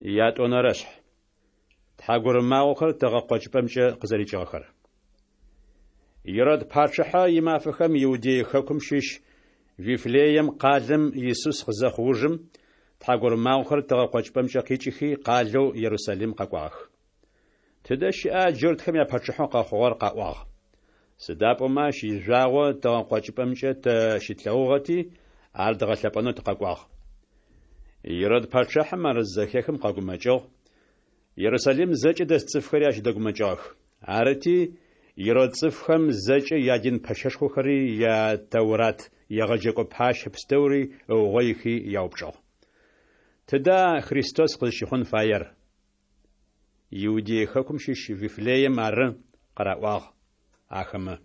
Ятӏонэрэшъхь. Тхьагурымагъохэр тыгъэ къокӏыпӏэмкӏэ къызэрикӏыгъэхэр. Ирод пачъыхьэ имафэхэм Иудей хэкум щыщ Вифлеем къалэм Исус къызэхъу ужым, тхьагурымагъохэр тыгъэ къокӏыпӏэмкӏэ къикӏыхи, къалэу Ерусалим къэкӏуагъэх. Тыдэ щыӏа джуртхэм япачъыхьэу къэхъугъэр къаӏуагъ. Сыда пӏомэ ащ ижъуагъо тыгъэ къокӏыпӏэмкӏэ тэ щытлъэгъугъэти, ар дгъэлъэпӏэнэу тыкъэкӏуагъ. Ирод пачъыхьэм ар зызэхехым къэгумэкӏыгъ, Ерусалим зэкӏэ дэс цӏыфхэри ащ дэгумэкӏыгъэх. Арыти, Ирод цӏыфхэм зэкӏэ ядин пэщэшхохэри я Тэурат егъэджэкӏо пащэ пстэури ыугъоихи яупчӏыгъ. Тыда Христос къызщыхъун фаер? Иудей хэкум щыщ Вифлеем ары, къыраӏуагъ ахэмэ,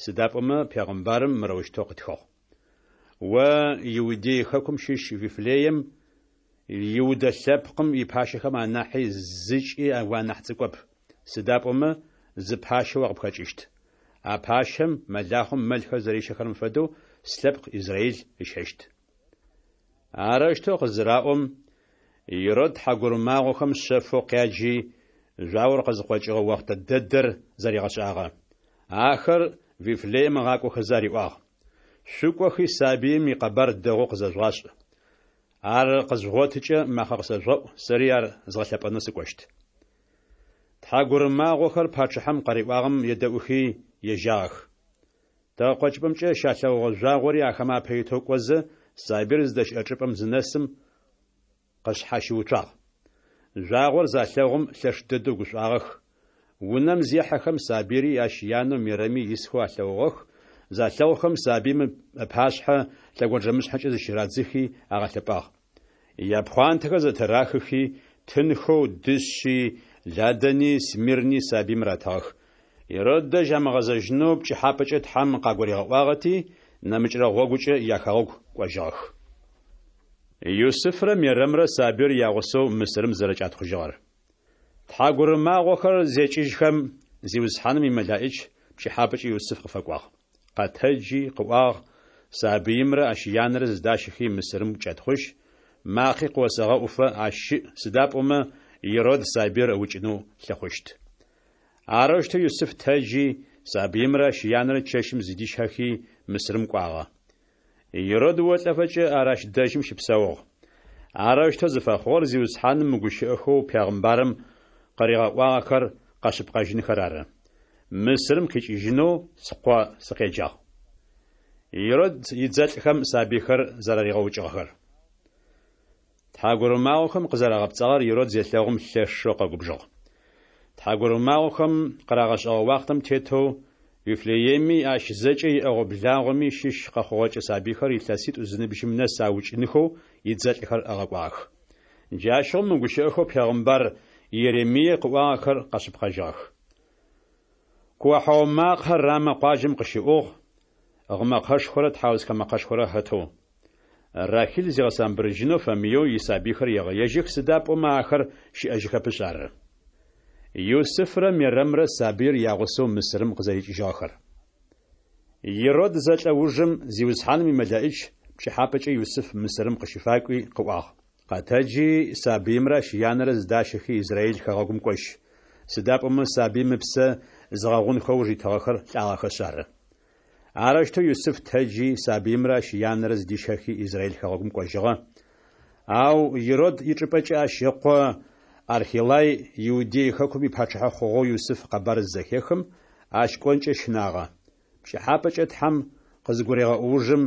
сыда пӏомэ пегъымбарым мырэущтэу къытхыгъ. О, Иудей хэкум щыщ Вифлеем, Иудэ лъэпкъым ипащэхэм анахьи зыкӏи уанахь цӏыкӏоп, сыда пӏомэ зы пащэ о къыпхэкӏыщт. А пащэм, мэлахъом мэлхэр зэрищэхэрэм фэдэу, слъэпкъ Израил ыщэщт. Арэущтэу къызыраӏом, Ирод тхьагурымагъохэм шъэфэу къяджи, жъуагъор къызыкъокӏыгъэ охътэ дэдэр зэригъэшӏагъэ. Ахэр Вифлеем ыгъакӏохэзэ ариӏуагъ, Шъукӏохи сабыим икъэбар дэгъоу къызэжъугъашӏ. Ар къызжъугъотыкӏэ макъэ къысэжъугъэӏу, сэри ар згъэлъэпӏэнэу сыкӏощт. Тхьагурымагъохэр пачъыхьэм къариӏуагъэм едэӏухи, ежьагъэх. Тыгъэкъокӏыпӏэмкӏэ щалъэгъугъэ жъуагъори ахэмэ апэ итэу кӏозэ, сабыир зыдэщыӏэ чӏыпӏэм зынэсым, къышъхьащыуцуагъ. Жъуагъор залъэгъум лъэш дэдэу гушӏуагъэх. Унэм зехьэхэм сабыйри ащ янэу Мерэми исхэу алъэгъугъэх, залъэгъухэм сабыим ыпашъхьэ лъэгонджэмышъхьэкӏэ зыщырадзыхи агъэлъэпӏагъ. Япхъуантэхэр зэтырахыхи, тынхэу дышъи, ладэни, смирни сабыим ратыгъэх. Ирод дэжь амыгъэзэжьынэу пкӏыхьапӏэкӏэ Тхьэм къагуригъэӏуагъэти, нэмыкӏрэ гъогукӏэ яхэгъэгу кӏожьыгъэх. Юсыфрэ Мерэмрэ сабыир ягъусэу Мысырым зэрэкӏатхъужьыгъэр. Тхьагурымагъохэр зекӏыжьхэм, Зиусхьаным имэлаӏич пкӏыхьапӏэкӏэ Юсыф къыфэкӏуагъ. Къэтэджи, къыӏуагъ, Сабыимрэ ащ янэрэ зыдащэхи Мысырым кӏэтхъужь, макъи къыосэгъэӏуфэ ащ щыӏ, сыда пӏомэ Ирод сабыир ыукӏынэу лъыхъущт. Арэущтэу Юсыф тэджи, сабыимрэ ащ янэрэ чэщым зыдищэхи Мысырым кӏуагъэ. Ирод олӏэфэкӏэ ар ащ дэжьым щыпсэугъ. Арэущтэу зыфэхъугъэр Зиусхьаным мы гущыӏэхэу пегъымбарым къыригъэӏуагъэхэр къэшъыпкъэжьынхэр ары. Мысырым къикӏыжьынэу скъо сыкъеджагъ. Ирод идзэлӏхэм сабыйхэр зэраригъэукӏыгъэхэр. Тхьагурымагъохэм къызэрагъэпцӏагъэр Ирод зелъэгъум лъэшэу къэгубжыгъ. Тхьагурымагъохэм къырагъэшӏэгъэ уахътэм тетэу Вифлееми ащ зэкӏэ иӏэгъо-благъоми щыщ къэхъугъэкӏэ сабыйхэр илъэситӏу зыныбжьым нэс аукӏынхэу идзэлӏхэр ыгъэкӏуагъэх. Джащыгъум мы гущыӏэхэу пегъымбар Иеремие къыӏуагъэхэр къэшъыпкъэжьыгъэх. Куохьау макъэ Рамэ къуаджэм къыщыӏугъ, гъымэкъэшхорэ тхьаусхэ мэкъэшхорэ хэтэу. Рахиль зигъэсамбырыжьынэу фэмыеу исабыйхэр егъэежьых, сыда пӏомэ ахэр щыӏэжьыхэпышъ ары. Юсыфрэ Мерэмрэ сабыир ягъусэу Мысырым къызэрикӏыжьыгъэхэр. Ирод зэлӏэ ужым Зиусхьаным имэлэӏич пкӏыхьапӏэкӏэ Юсыф Мысырым къыщыфакӏуи къыӏуагъ, Къэтэджи, сабыимрэ ащ янэрэ зыдащэхи Израиль хэгъэгум кӏожь, сыда пӏомэ сабыим ыпсэ зыгъэгъунхэу ыуж итыгъэхэр лӏагъэхэшъ ары. Арэущтэу Юсыф тэджи, сабыимрэ ащ янэрэ зыдищэхи Израиль хэгъэгум кӏожьыгъэ. Ау Ирод ичӏыпӏэкӏэ ащ ыкъо Архелай Иудей хэкум ипачъыхьэ хъугъэу Юсыф къэбар зызэхехым, ащ кӏонкӏэ щынагъэ. Пкӏыхьапӏэкӏэ Тхьэм къызыгурегъэӏо ужым,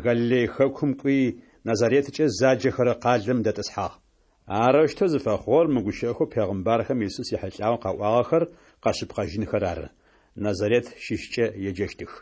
Галилей хэкум кӏуи, Назареткӏэ заджэхэрэ къалэм дэтӏысхьагъ. Арэущтэу зыфэхъугъэр мы гущыӏэхэу пегъымбархэм Исус ехьылӏагъэу къаӏуагъэхэр къэшъыпкъэжьынхэр ары, Назарет щыщкӏэ еджэщтых.